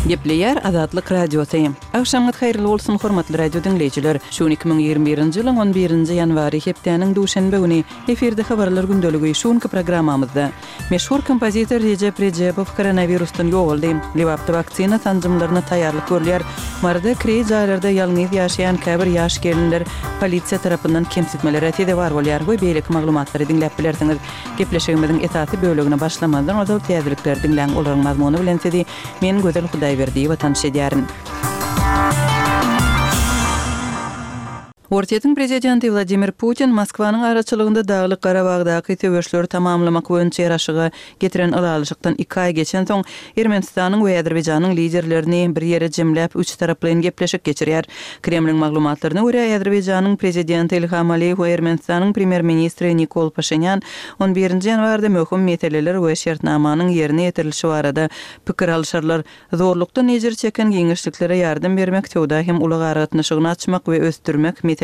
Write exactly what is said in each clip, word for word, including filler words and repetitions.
Gepleýär Azatlyk Radiosy. Agşamyňyz haýyrly bolsun, hormatly radio diňleýjiler. Şu gün iki müň ýigrimi birinji ýylyň on birinji ýanwary, hepdäniň duşenbe güni. Efirde habarlar gündeligi. Şu günki programmamyzda meşhur kompozitor Rejep Rejebow koronawirusdan ýogaldy. Lebapda waksina sanjymlaryna taýýarlyk görülýär. Maryda kireý jaýlarda ýalňyz ýaşaýan käbir ýaş gelinler polisiýa tarapyndan kemsitmelere sezewar bolýar we beýleki maglumatlary diňläp bilersiňiz. Gepleşigimiziň esasy bölegine başlamazdan ozal täzelikleri diňläň, olaryň mazmuny bilen sizi men Gözel Hudaýberdiýewa tanyş edýärin. Orsýetiň prezidenti Wladimir Putin Moskwanyň araçylygynda Daglyk Garabagdaky söweşleri tamamlamak boýunça ýaraşyga getiren ylalaşykdan iki aý geçensoň, Ermenistanyň we Azerbaýjanyň liderlerini bir ýere jemläp, üçtaraplaýyn gepleşik geçirýär. Kremliň maglumatlaryna görä, Azerbaýjanyň prezidenti Ilham Aliýew we Ermenistanyň premýer-ministri Nikol Paşinýan on birinji ýanwarda möhüm meseleler we şertnamanyň ýerine ýetirilişi barada pikir alyşarlar. Zorlukdan ejir çeken giňişliklere ýardam bermek, söwda hem ulag aragatnaşygyny açmak we ösdürmek meselelerine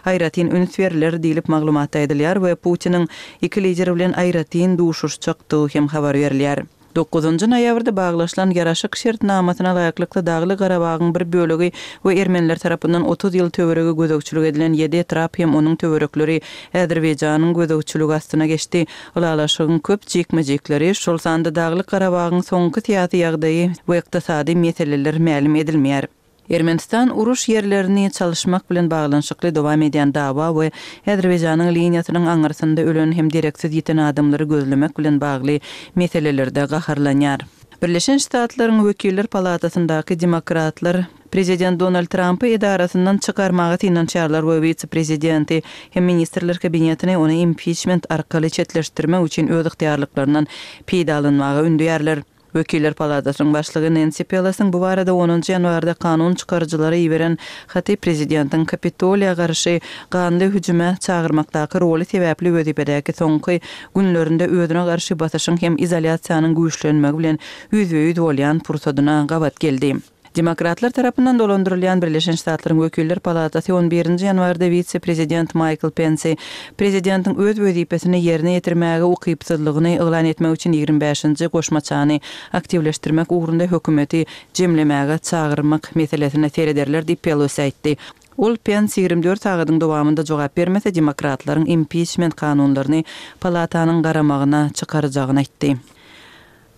aýratyn üns berler diýlip, maglumatda aýdylýar we Putiniň iki lider bilen aýratyn duşuşjakdygy hem habar berilýär. Dokuzynjy noýabrda baglaşylan ýaraşyk şertnamasyna laýyklykda Dagly Garabagyň bir bölegi we ermeniler tarapyndan otuz ýyl töweregi gözegçilik edilen ýedi etrap hem onuň töwerekleri Azerbaýjanyň gözegçiligi astyna geçdi. Ylalaşygyň köp jikme-jikleri, şol sanda Daglyk Garabagyň soňky syýasy ýagdaýy we ykdysady meseleler mälim edilmeýär. Ermenistan uruş ýerlerini çalyşmak bilen baglanyşykly dowam edýän dawa we Azerbaýjanyň liniýasynyň aňyrsynda ölen hem dereksiz ýiten adamlary gözlemek bilen bagly meselelerde gaharlanýar. Birleşen Ştatlaryň Wekiller palatasyndaky demokratlar Prezident Donald Trampy edarasyndan çykarmaga synanyşýarlar we wise-prezidenti hem Ministrler Kabinetini ony impiçment arkaly çetleşdirmek üçin öz ygtyýarlyklaryndan peýdalanmaga ündeýärler. Wekiller palatasynyň başlygy Nensi Pelosiň bu barada onunjy ýanwarda kanun çykaryjylara iberen haty prezidentiň Kapitoliýa garşy ganly hüjüme çagyrmakdaky roly sebäpli wezipedäki soňky günlerinde özüne garşy basyşyň hem izolýasiýanyň güýçlenmegi bilen ýüzbe-ýüz bolýan pursadyna gabat geldi. Demokratlar tarapyndan dolandyrylýan Birleşen Ştatlaryň Wekiller palatasy on birinji ýanwarda wise-prezident Maýkl Pensi prezidentiň öz wezipesini ýerine ýetirmäge ukypsyzlygyny yglan etmek üçin ýigrimi bäşinji goşmaçany aktiwleşdirmek ugrunda hökümeti jemlemäge çagyrmak meselesine serederler diýip Pelosi aýtdy. Ol Pens ýigrimi dört sagadyň dowamynda jogap bermese demokratlaryň impiçment kanunlaryny palatanyň garamagyna çykarjagyny aýtdy.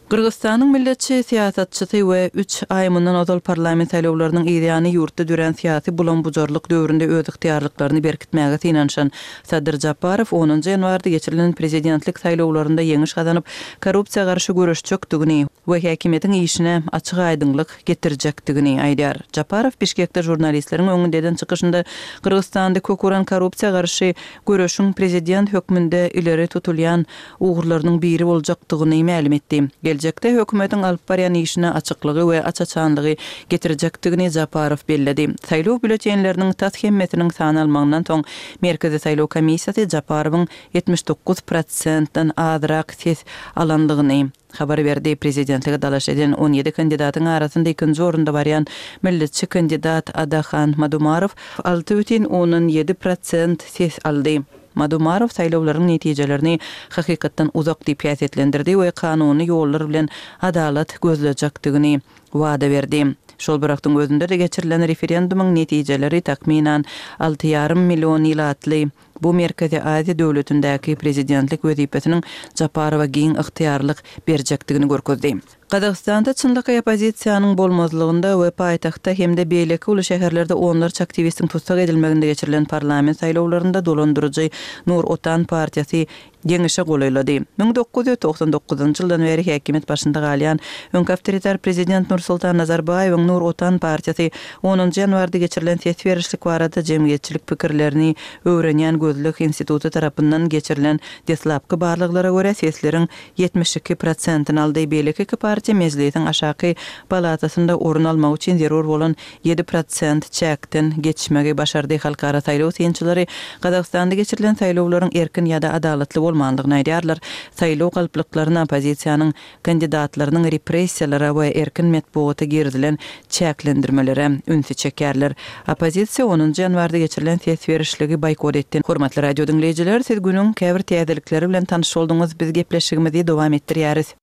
Gyrgyzystanyň milletçi syýasatçysy we üç aý mundan ozal parlament saýlawlarynyň yzýany ýurtda dörän syýasy bulam-bujarlyk döwründe öz ygtyýarlyklaryny berkitmäge synanyşan Sadyr Japarow onunjy ýanwarda geçirilen prezidentlik saýlawlarynda ýeňiş gazanyp, korrupsiýa garşy göreşjekdigini we häkimiýetiň işine açyk-aýdyňlyk getirjekdigini aýdýar. Japarow Bişkekde žurnalistleriň öňünde eden çykyşynda Gyrgyzystanda kök uran korrupsiýa garşy göreşiň prezident hökmünde ileri tutulýan ugurlarynyň biri boljakdygyny mälim etdi. Geljekde hökümetiň alyp barýan işine açyklygy we aç-açanlygy getirjekdigini Japarow belledi. Saýlaw býulletenleriniň tas hemmesiniň sanalmagyndan soň Merkezi saýlaw komissiýasy Japarowyň ýetmiş dokuz prosentden azrak ses alandygyny habar berdi. Prezidentlige dalaş eden on ýedi kandidatyň arasynda ikinji orunda barýan milletçi kandidat Adahan Madumarow alty bütin ondan ýedi prosent ses aldy. Madumarow saýlawlaryň netijelerini hakykatdan uzak diýip häsiýetlendirdi we kanuny ýollar bilen adalat gözlejekdigini wada berdi. Şol bir wagtyň özünde-de geçirilen referendumyň netijeleri takmynan alty ýarym million ilatly bu Merkezi Aziýa döwletindäki prezidentlik wezipesiniň Japarowa giň ygtyýarlyk berjekdigini görkezdi. Gazagystanda çynlakaý oppozisiýanyň bolmazlygynda we paýtagtda hem-de beýleki uly şäherlerde onlarça aktiwistiň tussag edilmeginde geçirilen parlament saýlawlarynda dolandyryjy Nur Otan partiýasy ýeňişe golaýlady. Müň dokuz ýüz togsan dokuzynjy ýyldan bäri häkimiýet başynda galýan öňki awtoritar prezident Nursultan Nazarbaýewiň Nur Otan partiýasy onunjy ýanwarda geçirilen ses berişlik barada jemgyýetçilik pikirlerini öwrenýän gözleg instituty tarapyndan geçirilen deslapky barlaglara görä sesleriň ýetmiş iki prosentini aldy. Beýleki iki partiýa Mejlisiň aşaky palatasynda orun almak üçin zerur bolan ýedi prosent çäkden geçmegi başardy. Halkara saýlaw synçylary Gazagystanda geçirilen saýlawlaryň erkin ýa-da adalatly bolmandygyny aýdýarlar. Saýlaw galplyklaryna oppozisiýanyň kandidatlarynyň repressiýalara we erkin metbugata girizilen çäklendirmelere ünsi çekýärler. Oppozisiýa onunjy ýanwarda geçirilen ses berişligi boýkot etdi. Hormatly radio diňleýjiler, siz günüň käbir täzelikleri bilen tanyş bolduňyz. Biz gepleşigimizi dowam etdirýäris.